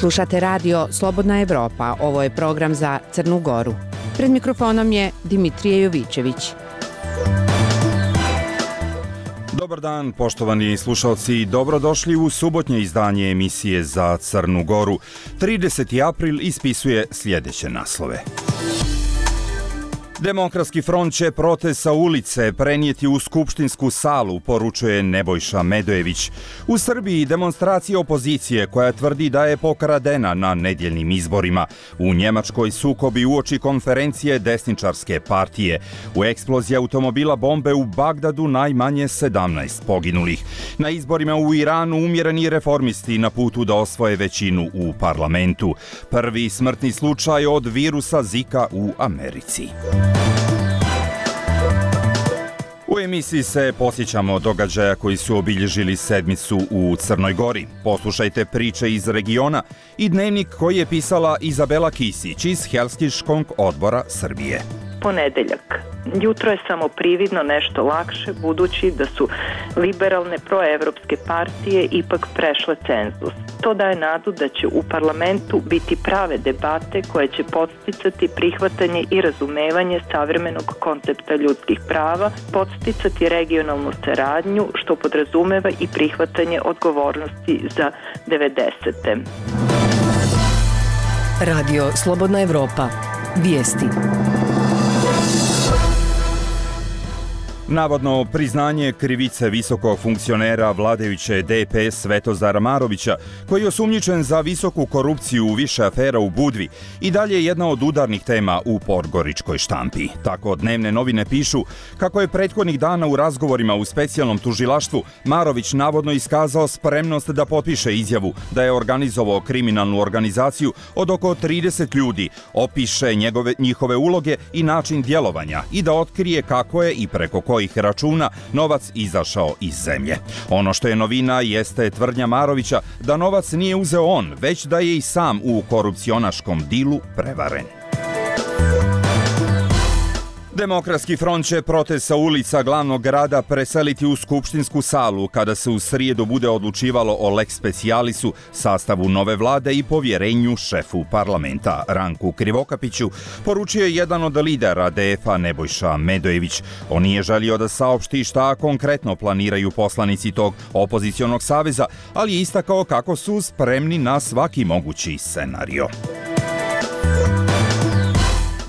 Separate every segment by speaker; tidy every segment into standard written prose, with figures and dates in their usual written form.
Speaker 1: Slušate radio Slobodna Evropa, ovo je program za Crnu Goru. Pred mikrofonom je Dimitrije Jovićević.
Speaker 2: Dobar dan, poštovani slušalci, dobrodošli u subotnje izdanje emisije za Crnu Goru. 30. april ispisuje sljedeće naslove. Demokratski front će protest sa ulice prenijeti u skupštinsku salu, poručuje Nebojša Medojević. U Srbiji demonstracija opozicije koja tvrdi da je pokradena na nedjeljnim izborima. U Njemačkoj sukobi uoči konferencije desničarske partije. U eksploziji automobila bombe u Bagdadu najmanje 17 poginulih. Na izborima u Iranu umjereni reformisti na putu da osvoje većinu u parlamentu. Prvi smrtni slučaj od virusa Zika u Americi. U emisiji se posjećamo događaja koji su obilježili sedmicu u Crnoj Gori. Poslušajte priče iz regiona i dnevnik koji je pisala Izabela Kisić iz Helsinškog odbora Srbije.
Speaker 3: Ponedeljak. Jutro je samo prividno nešto lakše, budući da su liberalne proevropske partije ipak prešle cenzus. To daje nadu da će u parlamentu biti prave debate koje će podsticati prihvatanje i razumevanje savremenog koncepta ljudskih prava, podsticati regionalnu saradnju, što podrazumeva i prihvatanje odgovornosti za 90.
Speaker 4: Radio Slobodna Evropa. Vijesti.
Speaker 2: Navodno priznanje krivice visokog funkcionera vladajuće DPS Svetozara Marovića, koji je osumnjičen za visoku korupciju u više afera u Budvi, i dalje je jedna od udarnih tema u podgoričkoj štampi. Tako dnevne novine pišu kako je prethodnih dana u razgovorima u specijalnom tužilaštvu Marović navodno iskazao spremnost da potpiše izjavu da je organizovao kriminalnu organizaciju od oko 30 ljudi, opiše njihove uloge i način djelovanja i da otkrije kako je i preko kojih računa novac izašao iz zemlje. Ono što je novina jeste tvrdnja Marovića da novac nije uzeo on, već da je i sam u korupcionaškom dilu prevaren. Demokratski front će protest sa ulica glavnog grada preseliti u skupštinsku salu kada se u srijedu bude odlučivalo o lex specialisu, sastavu nove vlade i povjerenju šefu parlamenta Ranku Krivokapiću, poručio je jedan od lidera DF-a Nebojša Medojević. On nije želio da saopšti šta konkretno planiraju poslanici tog opozicionog saveza, ali je istakao kako su spremni na svaki mogući scenario.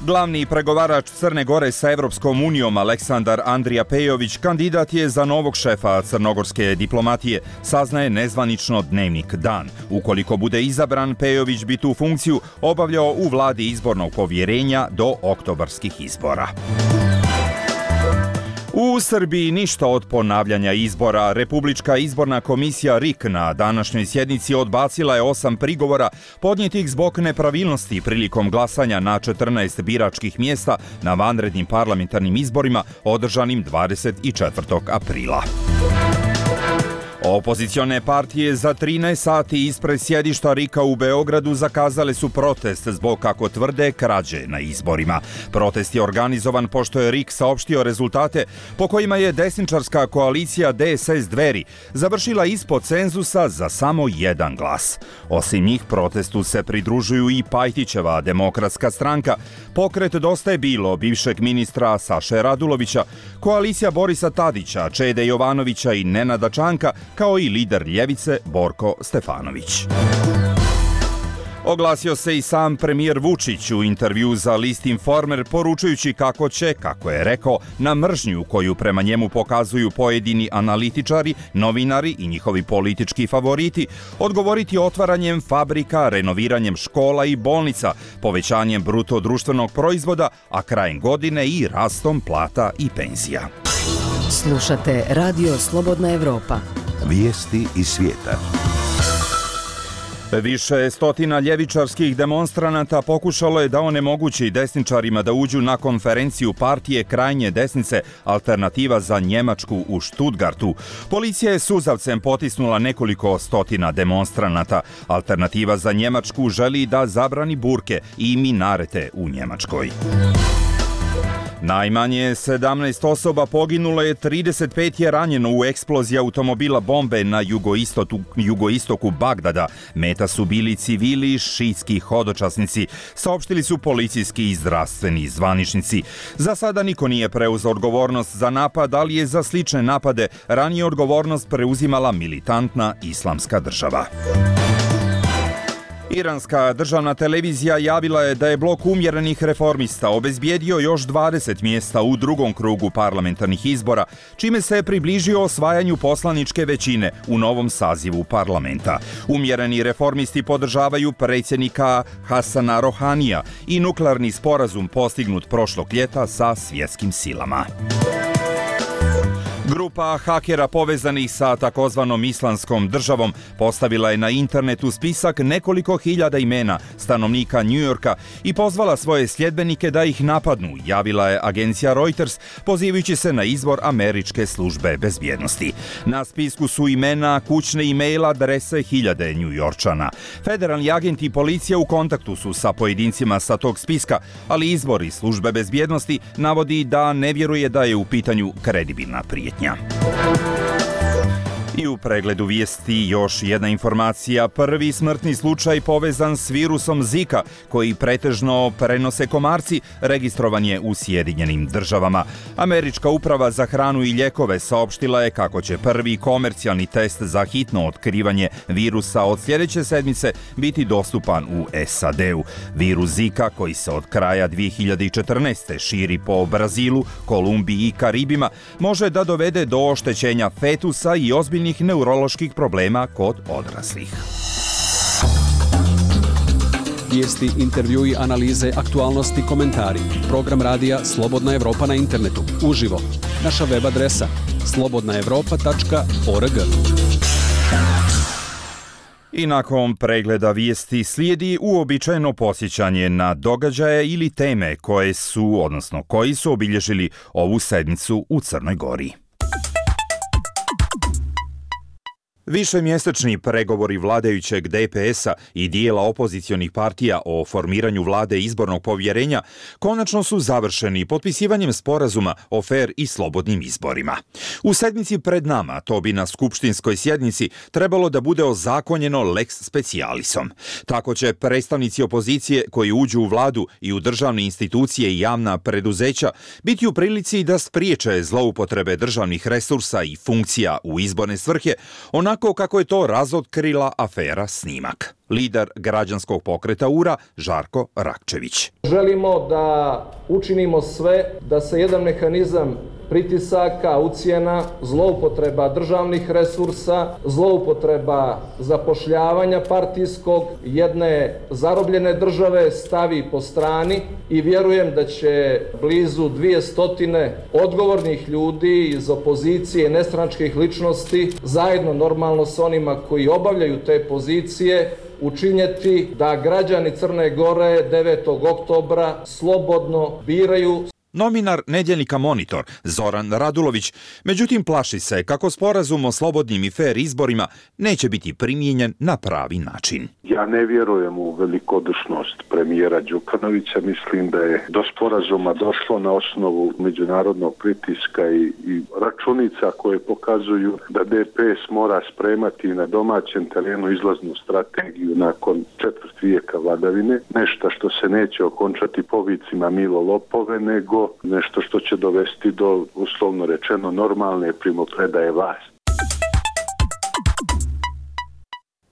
Speaker 2: Glavni pregovarač Crne Gore sa Evropskom unijom Aleksandar Andrija Pejović kandidat je za novog šefa crnogorske diplomatije, saznaje nezvanično dnevnik Dan. Ukoliko bude izabran, Pejović bi tu funkciju obavljao u vladi izbornog povjerenja do oktobarskih izbora. U Srbiji ništa od ponavljanja izbora. Republička izborna komisija RIK na današnjoj sjednici odbacila je 8 prigovora podnijetih zbog nepravilnosti prilikom glasanja na 14 biračkih mjesta na vanrednim parlamentarnim izborima održanim 24. aprila. Opozicione partije za 13 sati ispred sjedišta RIK-a u Beogradu zakazale su protest zbog, kako tvrde, krađe na izborima. Protest je organizovan pošto je RIK saopštio rezultate po kojima je desničarska koalicija DSS Dveri završila ispod cenzusa za samo jedan glas. Osim njih, protestu se pridružuju i Pajtićeva demokratska stranka, pokret Dosta je bilo bivšeg ministra Saše Radulovića, koalicija Borisa Tadića, Čede Jovanovića i Nenada Čanka, kao i lider ljevice Borko Stefanović. Oglasio se i sam premijer Vučić u intervju za list Informer, poručujući kako će, kako je rekao, na mržnju koju prema njemu pokazuju pojedini analitičari, novinari i njihovi politički favoriti, odgovoriti otvaranjem fabrika, renoviranjem škola i bolnica, povećanjem bruto društvenog proizvoda, a krajem godine i rastom plata i penzija.
Speaker 4: Slušate Radio Slobodna Evropa.
Speaker 5: Vijesti iz svijeta.
Speaker 2: Više stotina ljevičarskih demonstranata pokušalo je da onemogući desničarima da uđu na konferenciju partije krajnje desnice Alternativa za Njemačku u Stuttgartu. Policija je suzavcem potisnula nekoliko stotina demonstranata. Alternativa za Njemačku želi da zabrani burke i minarete u Njemačkoj. Najmanje 17 osoba poginulo je, 35 je ranjeno u eksploziji automobila bombe na jugoistoku Bagdada. Meta su bili civili, šiitski hodočasnici, saopštili su policijski i zdravstveni zvaničnici. Za sada niko nije preuzeo odgovornost za napad, ali je za slične napade ranije odgovornost preuzimala militantna Islamska država. Iranska državna televizija javila je da je blok umjerenih reformista obezbijedio još 20 mjesta u drugom krugu parlamentarnih izbora, čime se je približio osvajanju poslaničke većine u novom sazivu parlamenta. Umjereni reformisti podržavaju predsjednika Hasana Rohanija i nuklearni sporazum postignut prošlog ljeta sa svjetskim silama. Grupa hakera povezanih sa takozvanom Islamskom državom postavila je na internetu spisak nekoliko hiljada imena stanovnika New Yorka i pozvala svoje sljedbenike da ih napadnu, javila je agencija Reuters, pozivajući se na izvor američke službe bezbjednosti. Na spisku su imena, kućne e-mail adrese hiljade Newyorčana. Federalni agenti i policija u kontaktu su sa pojedincima sa tog spiska, ali izvor iz službe bezbjednosti navodi da ne vjeruje da je u pitanju kredibilna prijetnja. I u pregledu vijesti još jedna informacija. Prvi smrtni slučaj povezan s virusom Zika, koji pretežno prenose komarci, registrovan je u Sjedinjenim državama. Američka uprava za hranu i lijekove saopštila je kako će prvi komercijalni test za hitno otkrivanje virusa od sljedeće sedmice biti dostupan u SAD-u. Virus Zika, koji se od kraja 2014. širi po Brazilu, Kolumbiji i Karibima, može da dovede do oštećenja fetusa i ozbiljnih neuroloških problema kod odraslih.
Speaker 6: Vijesti, intervjui, analize, aktualnosti, komentari. Program radija Slobodna Evropa na internetu. Uživo. Naša web adresa slobodnaevropa.org.
Speaker 2: I nakon pregleda vijesti slijedi uobičajeno posjećanje na događaje ili teme koji su obilježili ovu sedmicu u Crnoj Gori. Višemjesečni pregovori vladajućeg DPS-a i dijela opozicionih partija o formiranju vlade izbornog povjerenja konačno su završeni potpisivanjem sporazuma o fer i slobodnim izborima. U sedmici pred nama to bi na skupštinskoj sjednici trebalo da bude ozakonjeno lex specialisom. Tako će predstavnici opozicije koji uđu u vladu i u državne institucije i javna preduzeća biti u prilici da spriječe zloupotrebe državnih resursa i funkcija u izborne svrhe, onako kako je to razotkrila afera Snimak. Lider građanskog pokreta URA Žarko Rakčević.
Speaker 7: Želimo da učinimo sve da se jedan mehanizam pritisaka, ucjena, zloupotreba državnih resursa, zloupotreba zapošljavanja partijskog jedne zarobljene države stavi po strani i vjerujem da će blizu 200 odgovornih ljudi iz opozicije, nestranačkih ličnosti, zajedno normalno s onima koji obavljaju te pozicije, učinjeti da građani Crne Gore 9. oktobra slobodno biraju.
Speaker 2: Novinar nedjeljnika Monitor Zoran Radulović, međutim plaši se kako sporazum o slobodnim i fer izborima neće biti primijenjen na pravi način.
Speaker 8: Ja ne vjerujem u velikodušnost premijera Đukanovića, mislim da je do sporazuma došlo na osnovu međunarodnog pritiska i računica koje pokazuju da DPS mora spremati na domaćem terenu izlaznu strategiju nakon četvrt vijeka vladavine, nešto što se neće okončati povicima Milo lopove, nego nešto što će dovesti do, uslovno rečeno, normalne primopredaje vlasti.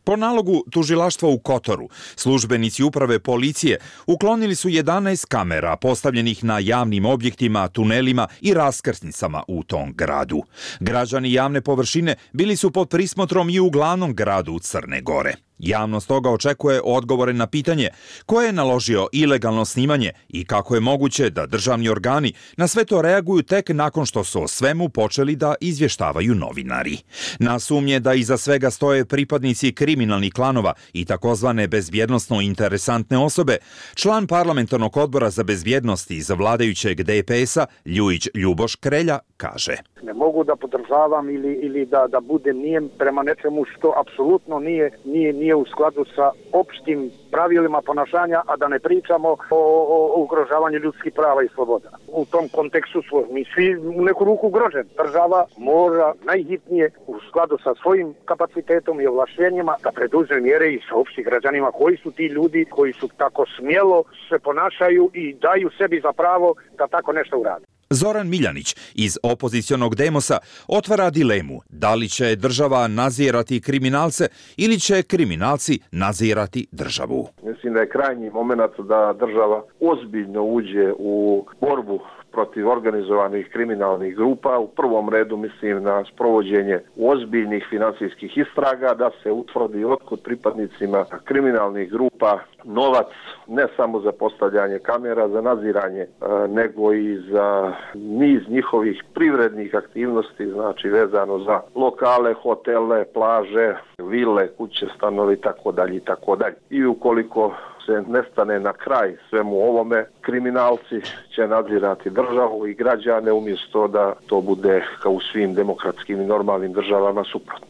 Speaker 2: Po nalogu tužilaštva u Kotoru, službenici uprave policije uklonili su 11 kamera postavljenih na javnim objektima, tunelima i raskrsnicama u tom gradu. Građani javne površine bili su pod prismotrom i u glavnom gradu Crne Gore. Javnost toga očekuje odgovore na pitanje ko je naložio ilegalno snimanje i kako je moguće da državni organi na sve to reaguju tek nakon što su o svemu počeli da izvještavaju novinari. Na sumnje da iza svega stoje pripadnici kriminalnih klanova i takozvane bezbjednosno interesantne osobe, član parlamentarnog odbora za bezbjednost iz vladajućeg DPS-a Ljujić Ljuboš Krelja kaže:
Speaker 9: Ne mogu da podržavam ili da budem nijem prema nečemu što apsolutno nije nije u skladu sa opštim pravilima ponašanja, a da ne pričamo o ugrožavanju ljudskih prava i sloboda. U tom kontekstu smo mi svi u neku ruku ugroženi. Država mora najhitnije u skladu sa svojim kapacitetom i ovlašćenjima da preduzme mjere i sa opštih građanima koji su ti ljudi koji su tako smjelo se ponašaju i daju sebi za pravo da tako nešto urade.
Speaker 2: Zoran Miljanić iz opozicionog Demosa otvara dilemu da li će država nadzirati kriminalce ili će kriminalci nadzirati državu.
Speaker 10: Mislim da je krajnji moment da država ozbiljno uđe u borbu protiv organizovanih kriminalnih grupa. U prvom redu mislim na sprovođenje ozbiljnih financijskih istraga, da se utvrdi otkud pripadnicima kriminalnih grupa novac, ne samo za postavljanje kamera, za nadziranje, nego i za niz njihovih privrednih aktivnosti, znači vezano za lokale, hotele, plaže, vile, kuće, stanovi, itd. I ukoliko se ne stane na kraj svemu ovome, kriminalci će nadzirati državu i građane umjesto da to bude kao u svim demokratskim i normalnim državama suprotno.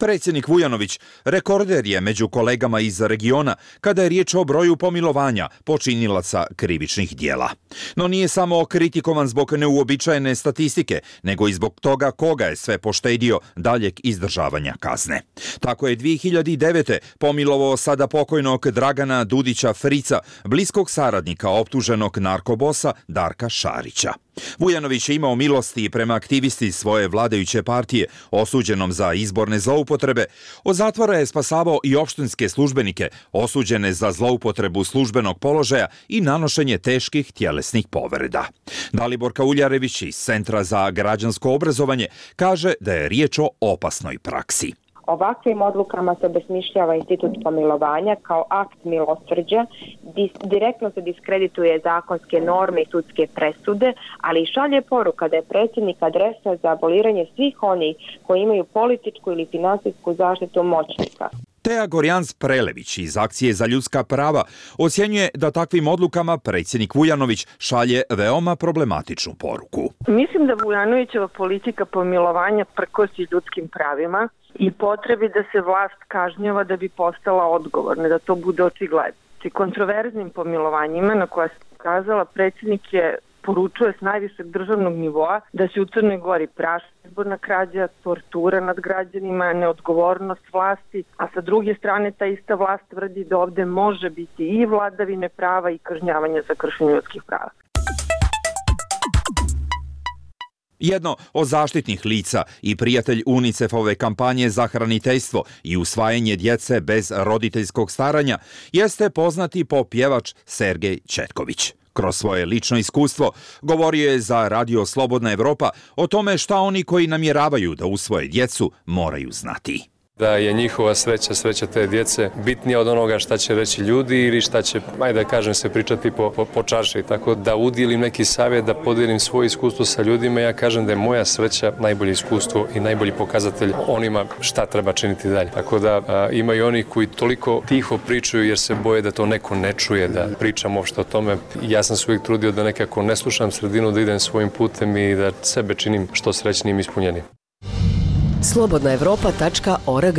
Speaker 2: Predsjednik Vujanović rekorder je među kolegama iz regiona kada je riječ o broju pomilovanja počinilaca krivičnih dijela. No nije samo kritikovan zbog neuobičajene statistike, nego i zbog toga koga je sve poštedio daljeg izdržavanja kazne. Tako je 2009. pomilovao sada pokojnog Dragana Dudića Frica, bliskog saradnika optuženog narkobosa Darka Šarića. Vujanović je imao milosti prema aktivisti svoje vladajuće partije, osuđenom za izborne zloupotrebe. Od zatvora je spasavao i opštinske službenike, osuđene za zloupotrebu službenog položaja i nanošenje teških tjelesnih povreda. Dalibor Kauljarević iz Centra za građansko obrazovanje kaže da je riječ o opasnoj praksi.
Speaker 11: Ovakvim odlukama se obesmišljava institut pomilovanja kao akt milosrđa, direktno se diskredituje zakonske norme i sudske presude, ali i šalje poruka da je predsjednik adresa za aboliranje svih onih koji imaju političku ili finansijsku zaštitu moćnika.
Speaker 2: Teja Gorjans-Prelević iz Akcije za ljudska prava ocjenjuje da takvim odlukama predsjednik Vujanović šalje veoma problematičnu poruku.
Speaker 12: Mislim da Vujanovićeva politika pomilovanja prkosi ljudskim pravima i potrebi da se vlast kažnjava da bi postala odgovorna, da to bude očigledno. Kontroverznim pomilovanjima na koja se ukazala, predsjednik je poručuje s najvišeg državnog nivoa da se u Crnoj Gori praši izborna krađa, tortura nad građanima, neodgovornost vlasti, a sa druge strane ta ista vlast tvrdi da ovdje može biti i vladavine prava i kažnjavanja za kršenje ljudskih prava.
Speaker 2: Jedno od zaštitnih lica i prijatelj UNICEF-ove kampanje za hraniteljstvo i usvajanje djece bez roditeljskog staranja jeste poznati popjevač Sergej Četković. Kroz svoje lično iskustvo govorio je za Radio Slobodna Evropa o tome šta oni koji namjeravaju da usvoje djecu moraju znati.
Speaker 13: Da je njihova sreća te djece bitnija od onoga šta će reći ljudi ili šta će, ajde da kažem, se pričati po čaši. Tako da udjelim neki savjet, da podijelim svoje iskustvo sa ljudima, ja kažem da je moja sreća najbolje iskustvo i najbolji pokazatelj onima šta treba činiti dalje. Tako da ima i oni koji toliko tiho pričaju jer se boje da to neko ne čuje, da pričam uopšte o tome. Ja sam se uvijek trudio da nekako ne slušam sredinu, da idem svojim putem i da sebe činim što srećnijim i ispunjenim.
Speaker 4: slobodnaevropa.org.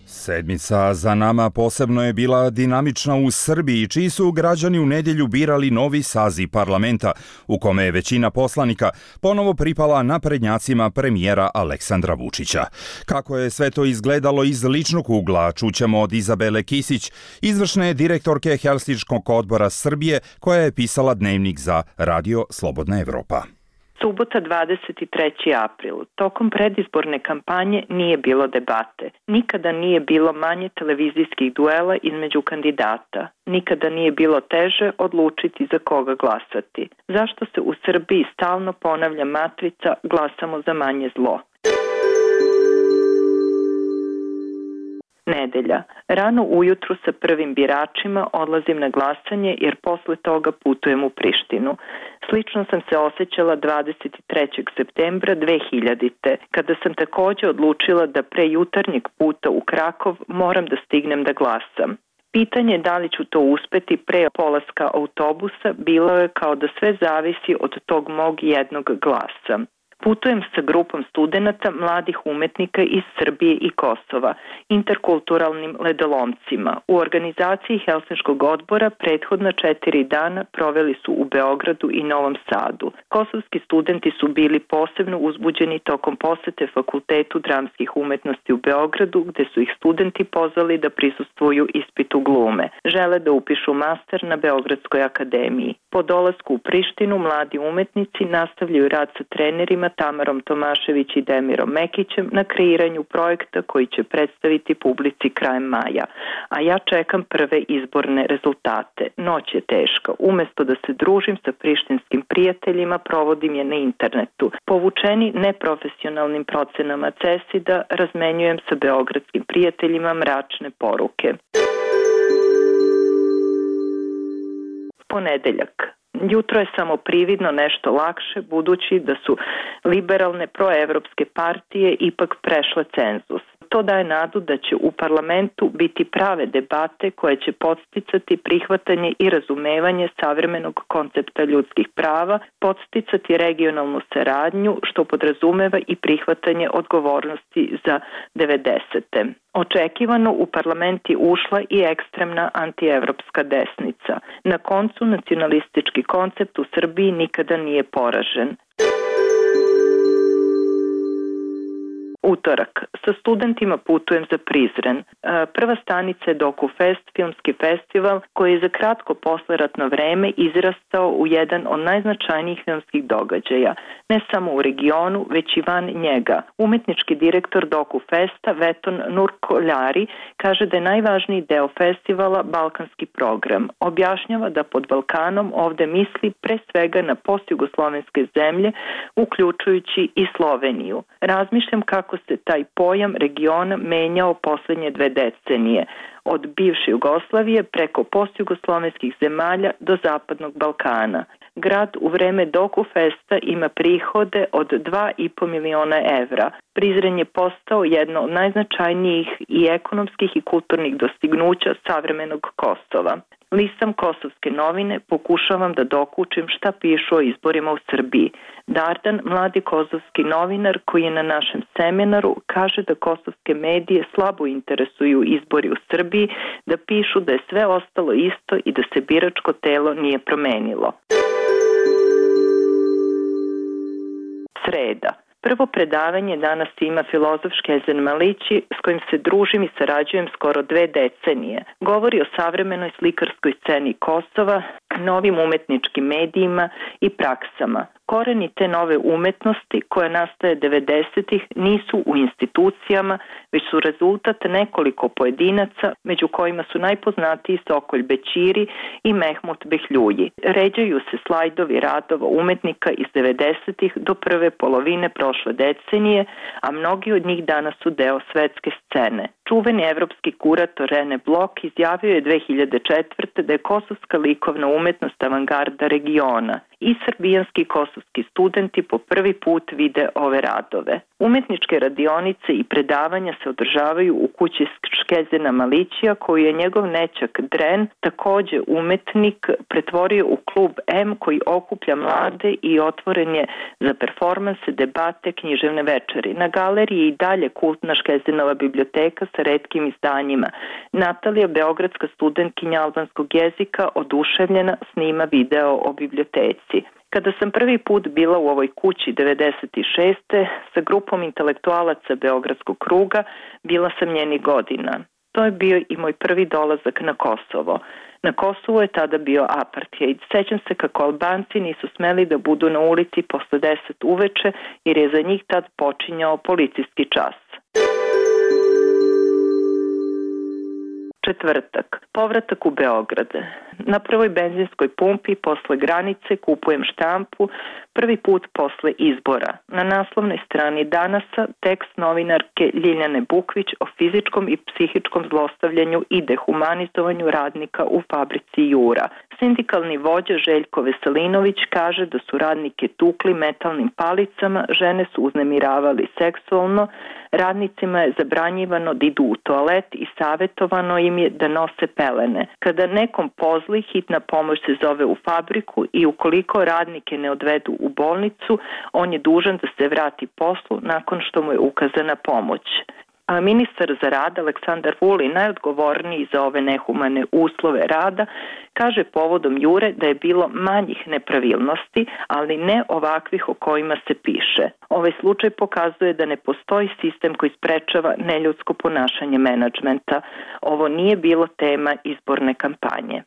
Speaker 2: Sedmica za nama posebno je bila dinamična u Srbiji, čiji su građani u nedjelju birali novi saziv parlamenta, u kome je većina poslanika ponovo pripala naprednjacima premijera Aleksandra Vučića. Kako je sve to izgledalo iz ličnog ugla, čućemo od Izabele Kisić, izvršne direktorke Helsinškog odbora Srbije, koja je pisala dnevnik za Radio Slobodna Evropa.
Speaker 3: Subota 23. april. Tokom predizborne kampanje nije bilo debate. Nikada nije bilo manje televizijskih duela između kandidata. Nikada nije bilo teže odlučiti za koga glasati. Zašto se u Srbiji stalno ponavlja matrica glasamo za manje zlo? Nedelja. Rano ujutru sa prvim biračima odlazim na glasanje jer posle toga putujem u Prištinu. Slično sam se osjećala 23. septembra 2000. kada sam također odlučila da pre jutarnjeg puta u Krakov moram da stignem da glasam. Pitanje da li ću to uspeti pre polaska autobusa bilo je kao da sve zavisi od tog mog jednog glasa. Putujem sa grupom studenata mladih umetnika iz Srbije i Kosova, interkulturalnim ledolomcima. U organizaciji Helsinškog odbora prethodna 4 dana proveli su u Beogradu i Novom Sadu. Kosovski studenti su bili posebno uzbuđeni tokom posete Fakultetu dramskih umetnosti u Beogradu, gde su ih studenti pozvali da prisustvuju ispitu glume. Žele da upišu master na Beogradskoj akademiji. Po dolasku u Prištinu mladi umetnici nastavljaju rad sa trenerima Tamarom Tomašević i Demirom Mekićem na kreiranju projekta koji će predstaviti publici krajem maja. A ja čekam prve izborne rezultate. Noć je teška. Umesto da se družim sa prištinskim prijateljima, provodim je na internetu. Povučeni neprofesionalnim procenama CESID-a, razmenjujem sa beogradskim prijateljima mračne poruke. Ponedeljak. Jutro je samo prividno nešto lakše, budući da su liberalne proevropske partije ipak prešle cenzus. To daje nadu da će u parlamentu biti prave debate koje će podsticati prihvatanje i razumevanje savremenog koncepta ljudskih prava, podsticati regionalnu saradnju, što podrazumeva i prihvatanje odgovornosti za 90. Očekivano u parlament je ušla i ekstremna antievropska desnica. Na koncu, nacionalistički koncept u Srbiji nikada nije poražen. Utorak. Sa studentima putujem za Prizren. Prva stanica je DokuFest, filmski festival koji je za kratko posleratno vreme izrastao u jedan od najznačajnijih filmskih događaja, ne samo u regionu, već i van njega. Umetnički direktor DokuFesta Veton Nurkoljari kaže da je najvažniji deo festivala balkanski program. Objašnjava da pod Balkanom ovde misli pre svega na postjugoslovenske zemlje, uključujući i Sloveniju. Razmišljam kako se taj pojam regiona menjao poslednje 2 decenije, od bivše Jugoslavije preko postjugoslovenskih zemalja do Zapadnog Balkana. Grad u vreme DokuFesta ima prihode od 2,5 miliona evra. Prizren je postao jedno od najznačajnijih i ekonomskih i kulturnih dostignuća savremenog Kosova. Listam Kosovske novine, pokušavam da dokučim šta pišu o izborima u Srbiji. Dardan, mladi kosovski novinar koji je na našem seminaru, kaže da kosovske medije slabo interesuju izbori u Srbiji, da pišu da je sve ostalo isto i da se biračko telo nije promenilo. Sreda. Prvo predavanje danas ima filozof Škezen Malići, s kojim se družim i sarađujem skoro 2 decenije. Govori o savremenoj slikarskoj sceni Kosova, novim umetničkim medijima i praksama. Koreni te nove umetnosti koja nastaje 90-ih nisu u institucijama, već su rezultat nekoliko pojedinaca, među kojima su najpoznatiji Sokolj Bećiri i Mehmut Behljuji. Ređaju se slajdovi radova umetnika iz 90-ih do prve polovine prošle decenije, a mnogi od njih danas su deo svetske scene. Čuveni evropski kurator Rene Blok izjavio je 2004. da je kosovska likovna umetnost avangarda regiona. I srbijanski kosovski studenti po prvi put vide ove radove. Umetničke radionice i predavanja se održavaju u kući Škezena Malićija, koju je njegov nećak Dren, takođe umetnik, pretvorio u klub M koji okuplja mlade i otvoren je za performanse, debate, književne večeri. Na galeriji je i dalje kultna Škezenova biblioteka sa retkim izdanjima. Natalija, beogradska studentkinja albanskog jezika, oduševljena snima video o biblioteci. Kada sam prvi put bila u ovoj kući 96. sa grupom intelektualaca Beogradskog kruga, bila sam njenih godina. To je bio i moj prvi dolazak na Kosovo. Na Kosovu je tada bio apartheid. Sećam se kako Albanci nisu smeli da budu na ulici posle 10 uveče jer je za njih tad počinjao policijski čas. Četvrtak. Povratak u Beograd. Na prvoj benzinskoj pumpi posle granice kupujem štampu, prvi put posle izbora. Na naslovnoj strani Danasa tekst novinarke Ljiljane Bukvić o fizičkom i psihičkom zlostavljanju i dehumanizovanju radnika u fabrici Jura. Sindikalni vođa Željko Veselinović kaže da su radnike tukli metalnim palicama, žene su uznemiravali seksualno, radnicima je zabranjivano da idu u toalet i savjetovano im im je da nose pelene. Kada nekom pozli, hitna pomoć se zove u fabriku i ukoliko radnike ne odvedu u bolnicu, on je dužan da se vrati poslu nakon što mu je ukazana pomoć. A ministar za rad Aleksandar Vulin, najodgovorniji za ove nehumane uslove rada, kaže povodom Jure da je bilo manjih nepravilnosti, ali ne ovakvih o kojima se piše. Ovaj slučaj pokazuje da ne postoji sistem koji sprečava neljudsko ponašanje menadžmenta. Ovo nije bilo tema izborne kampanje.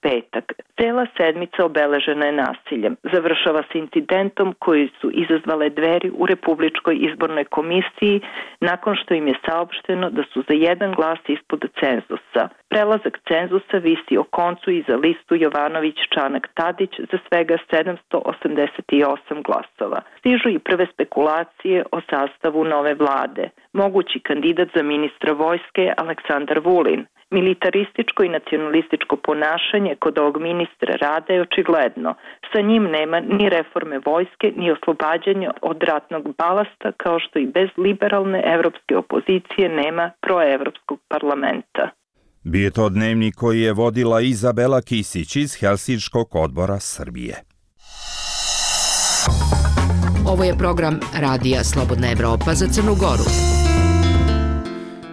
Speaker 3: Petak. Cela sedmica obeležena je nasiljem. Završava se incidentom koji su izazvale Dveri u Republičkoj izbornoj komisiji nakon što im je saopšteno da su za jedan glas ispod cenzusa. Prelazak cenzusa visi o koncu i za listu Jovanović-Čanak-Tadić za svega 788 glasova. Stižu i prve spekulacije o sastavu nove vlade. Mogući kandidat za ministra vojske je Aleksandar Vulin. Militarističko i nacionalističko ponašanje kod ovog ministra rada je očigledno. Sa njim nema ni reforme vojske, ni oslobađanja od ratnog balasta, kao što i bez liberalne evropske opozicije nema proevropskog parlamenta.
Speaker 2: Bio je to dnevnik koji je vodila Izabela Kisić iz Helsinškog odbora Srbije.
Speaker 4: Ovo je program Radija Slobodna Evropa za Crnu Goru.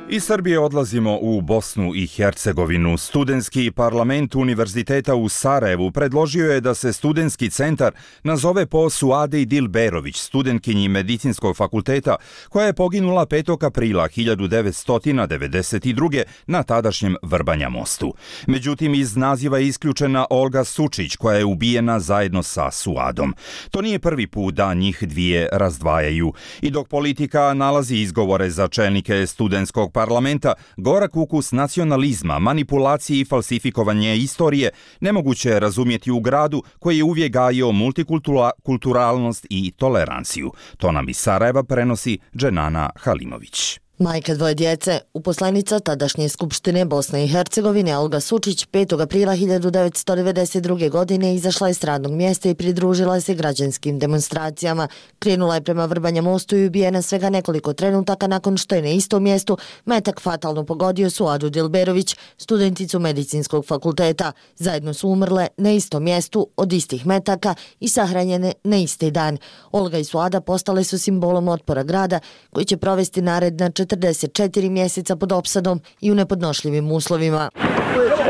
Speaker 2: Iz Srbije odlazimo u Bosnu i Hercegovinu. Studentski parlament Univerziteta u Sarajevu predložio je da se studentski centar nazove po Suadi Dilberović, studentkinji Medicinskog fakulteta, koja je poginula 5. aprila 1992. na tadašnjem Vrbanja mostu. Međutim, iz naziva je isključena Olga Sučić, koja je ubijena zajedno sa Suadom. To nije prvi put da njih dvije razdvajaju. I dok politika nalazi izgovore za čelnike studentskog parlamenta, gorak ukus nacionalizma, manipulacije i falsifikovanje istorije nemoguće je razumjeti u gradu koji je uvijek gajio multikulturalnost i toleranciju. To nam iz Sarajeva prenosi Dženana Halimović.
Speaker 14: Majka dvoje djece, uposlenica tadašnje Skupštine Bosne i Hercegovine Olga Sučić 5. aprila 1992. godine izašla je s radnog mjesta i pridružila se građanskim demonstracijama. Krenula je prema Vrbanja mostu i ubijena svega nekoliko trenutaka nakon što je na istom mjestu metak fatalno pogodio Suadu Dilberović, studenticu Medicinskog fakulteta. Zajedno su umrle na istom mjestu od istih metaka i sahranjene na isti dan. Olga i Suada postale su simbolom otpora grada koji će provesti naredna 44 mjeseca pod opsadom i u nepodnošljivim uslovima.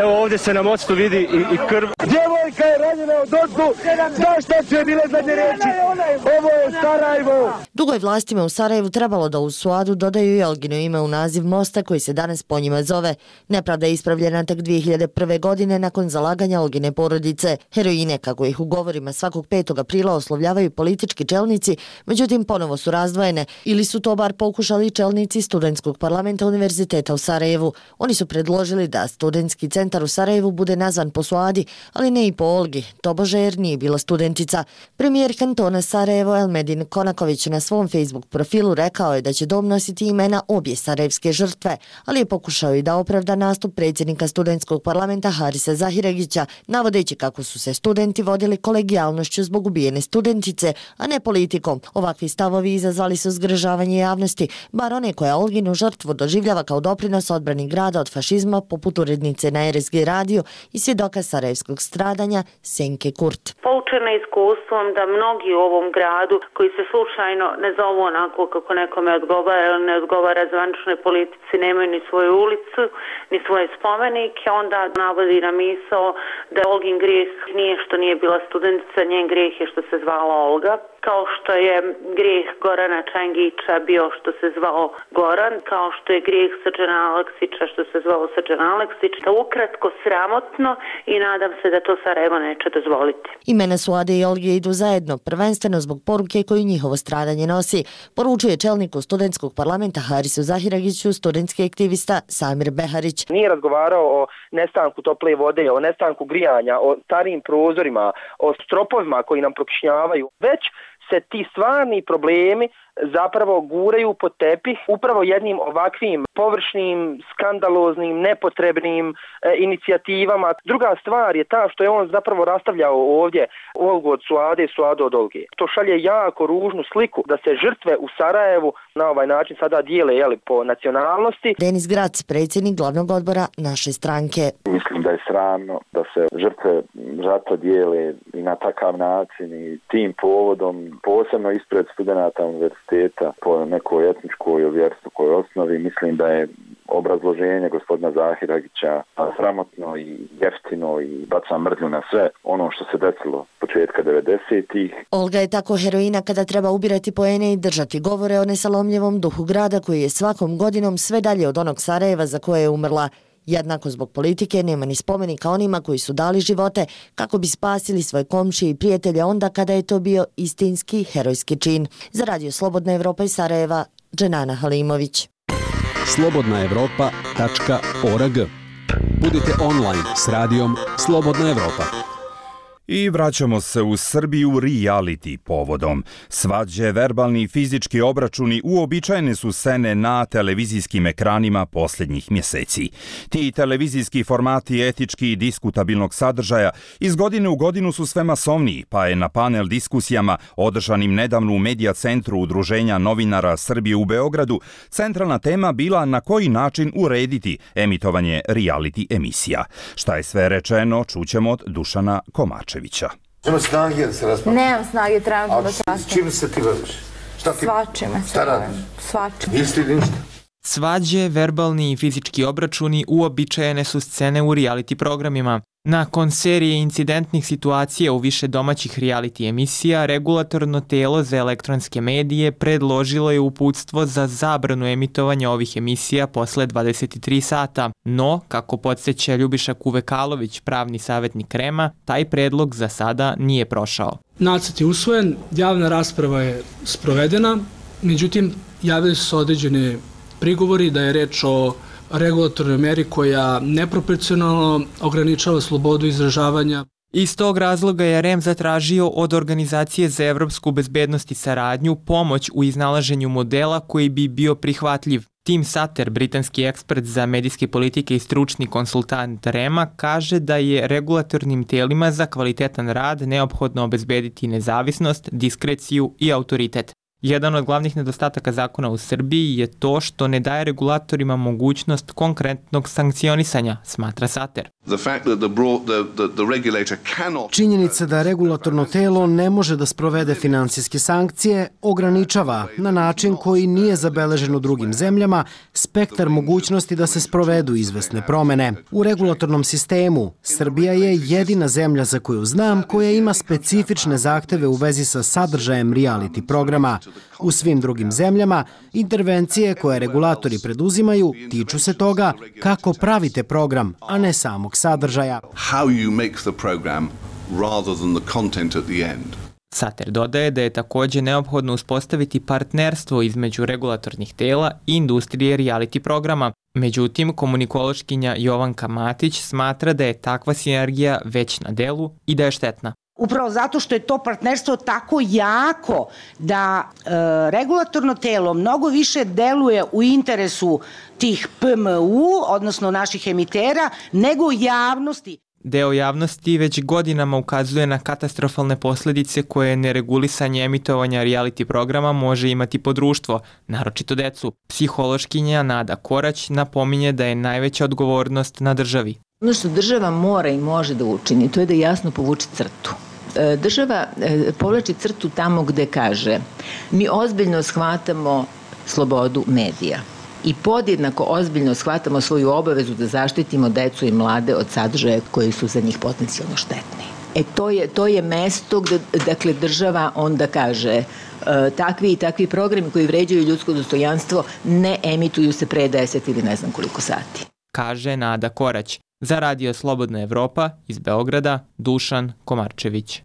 Speaker 15: Evo ovdje se na mostu vidi i krv. Djevojka je ranjena od ozdu, znaš šta su je bile zadnje reći? Ovo je Sarajevo!
Speaker 14: Dugo je vlastima u Sarajevu trebalo da u Suadu dodaju i Olgino ime u naziv mosta koji se danas po njima zove. Nepravda je ispravljena tek 2001. godine nakon zalaganja Olgine porodice. Heroine, kako ih u govorima svakog 5. aprila oslovljavaju politički čelnici, međutim ponovo su razdvojene ili su to bar pokušali čelnici studentskog parlamenta Univerziteta u Sarajevu. Oni su predložili da studentski centar u Sarajevu bude nazvan po Suadi, ali ne i po Olgi, tobože jer nije bila studentica. Premijer kantona Sarajevo Elmedin Konaković na svom Facebook profilu rekao je da će dom nositi imena obje sarajevske žrtve, ali je pokušao i da opravda nastup predsjednika studentskog parlamenta Harisa Zahiregića, navodeći kako su se studenti vodili kolegijalnošću zbog ubijene studentice, a ne politikom. Ovakvi stavovi izazvali su zgražavanje javnosti, bar one koja Olginu žrtvu doživljava kao doprinos odbrani grada od fašizma, poput urednice na RSG radio i svjedoka sarajevskog stradanja Senke Kurt.
Speaker 16: Poučena iskustvom da mnogi u ovom gradu koji se slučajno ne zovu onako kako nekome odgovara ili ne odgovara zvaničnoj politici, nemaju ni svoju ulicu, ni svoje spomenike, onda navodi na misao da Olgin grijeh nije što nije bila studentica, njen grijeh je što se zvala Olga. Kao što je grijeh Gorana Čangića bio što se zvao Goran, kao što je grijeh Srđana Aleksića što se zvao Srđan Aleksić. Ukratko sramotno i nadam se da to Sarajevo neće dozvoliti.
Speaker 14: Imena Suade i Olge idu zajedno, prvenstveno zbog poruke koju njihovo stradanje nosi, poručuje čelniku studentskog parlamenta Harisu Zahiragiću studentski aktivista Samir Beharić.
Speaker 15: Nije razgovarao o nestanku tople vode, o nestanku grijanja, o starijim prozorima, o stropovima koji nam prokišnjavaju, već se ti stvarni problemi zapravo guraju pod tepih upravo jednim ovakvim površnim, skandaloznim, nepotrebnim inicijativama. Druga stvar je ta što je on zapravo rastavljao ovdje Olgu od Suade i Suadu od Olge. To šalje jako ružnu sliku da se žrtve u Sarajevu na ovaj način sada dijele po nacionalnosti.
Speaker 14: Denis Grac, predsjednik glavnog odbora naše stranke.
Speaker 17: Mislim da je sramno da se žrtve rata dijele i na takav način i tim povodom, posebno ispred studenata univerziteta po nekoj etničkoj ili vjerskoj osnovi. Mislim da je obrazloženje gospodina Zahiragića sramotno i jeftino i baca mrlju na sve ono što se desilo početka 90-ih.
Speaker 14: Olga je tako heroina kada treba ubirati poene i držati govore o nesalomljivom duhu grada koji je svakom godinom sve dalje od onog Sarajeva za koje je umrla. Jednako zbog politike nema ni spomenika onima koji su dali živote kako bi spasili svoje komšije i prijatelje onda kada je to bio istinski herojski čin. Za Radio Slobodna Evropa iz Sarajeva, Dženana Halimović.
Speaker 6: slobodnaevropa.org. Budite online s radijom Slobodna Evropa.
Speaker 2: I vraćamo se u Srbiju reality povodom. Svađe, verbalni i fizički obračuni uobičajene su scene na televizijskim ekranima posljednjih mjeseci. Ti televizijski formati etički i diskutabilnog sadržaja iz godine u godinu su sve masovniji, pa je na panel diskusijama održanim nedavno u Medija centru Udruženja novinara Srbije u Beogradu centralna tema bila na koji način urediti emitovanje reality emisija. Šta je sve rečeno, čućemo od Dušana Komačevića.
Speaker 18: Nema snage da se raspravlja.
Speaker 19: Nemam snage, trebam da se raspravljam.
Speaker 18: Čim se ti baviš?
Speaker 19: Svačime se bavim. Svačime.
Speaker 18: Isti ništa.
Speaker 20: Svađe, verbalni i fizički obračuni uobičajene su scene u reality programima. Nakon serije incidentnih situacija u više domaćih reality emisija, regulatorno telo za elektronske medije predložilo je uputstvo za zabranu emitovanja ovih emisija posle 23 sata. No, kako podsjeća Ljubiša Kuvekalović, pravni savjetnik REM-a, taj predlog za sada nije prošao.
Speaker 21: Nacrt je usvojen, javna rasprava je sprovedena, međutim, javili su se određene prigovori da je reč o regulatornoj meri koja neproporcionalno ograničava slobodu izražavanja.
Speaker 20: Iz tog razloga je REM zatražio od Organizacije za evropsku bezbednost i saradnju pomoć u iznalaženju modela koji bi bio prihvatljiv. Tim Sater, britanski ekspert za medijske politike i stručni konsultant REM-a, kaže da je regulatornim telima za kvalitetan rad neophodno obezbediti nezavisnost, diskreciju i autoritet. Jedan od glavnih nedostataka zakona u Srbiji je to što ne daje regulatorima mogućnost konkretnog sankcionisanja, smatra Sater.
Speaker 22: Činjenica da regulatorno telo ne može da sprovede finansijske sankcije ograničava na način koji nije zabeležen u drugim zemljama spektar mogućnosti da se sprovedu izvesne promene. U regulatornom sistemu Srbija je jedina zemlja za koju znam koja ima specifične zahteve u vezi sa sadržajem reality programa. U svim drugim zemljama, intervencije koje regulatori preduzimaju tiču se toga kako pravite program, a ne samog sadržaja.
Speaker 20: Sater dodaje da je također neophodno uspostaviti partnerstvo između regulatornih tela i industrije reality programa. Međutim, komunikološkinja Jovanka Matić smatra da je takva sinergija već na delu i da je štetna.
Speaker 23: Upravo zato što je to partnerstvo tako jako da regulatorno telo mnogo više deluje u interesu tih PMU, odnosno naših emitera, nego javnosti.
Speaker 20: Deo javnosti već godinama ukazuje na katastrofalne posljedice koje neregulisanje emitovanja reality programa može imati po društvo, naročito decu. Psihološkinja Nada Korać napominje da je najveća odgovornost na državi.
Speaker 24: Ono što država mora i može da učini, to je da jasno povuče crtu. Država povlači crtu tamo gde kaže mi ozbiljno shvatamo slobodu medija i podjednako ozbiljno shvatamo svoju obavezu da zaštitimo decu i mlade od sadržaja koji su za njih potencijalno štetni. To je mesto gde dakle, država onda kaže takvi i takvi programi koji vređaju ljudsko dostojanstvo ne emituju se pre 10 ili ne znam koliko sati.
Speaker 20: Kaže Nada Korać. Za Radio Slobodna Evropa iz Beograda, Dušan Komarčević.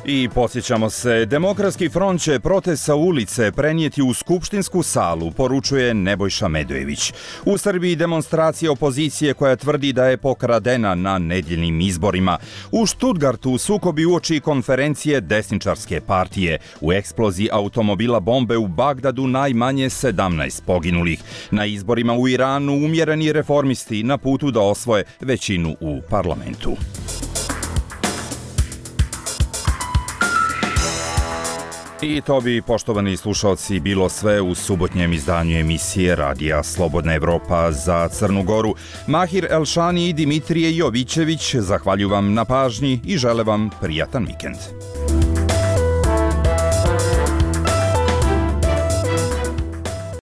Speaker 2: I podsjećamo se, Demokratski front će protest sa ulice prenijeti u skupštinsku salu, poručuje Nebojša Medojević. U Srbiji demonstracija opozicije koja tvrdi da je pokradena na nedjeljnim izborima. U Stuttgartu sukobi uoči konferencije desničarske partije. U eksploziji automobila bombe u Bagdadu najmanje 17 poginulih. Na izborima u Iranu umjereni reformisti na putu da osvoje većinu u parlamentu. I to bi, poštovani slušalci, bilo sve u subotnjem izdanju emisije Radija Slobodna Evropa za Crnu Goru. Mahir Elšani i Dimitrije Jovićević zahvaljuju vam na pažnji i žele vam prijatan vikend.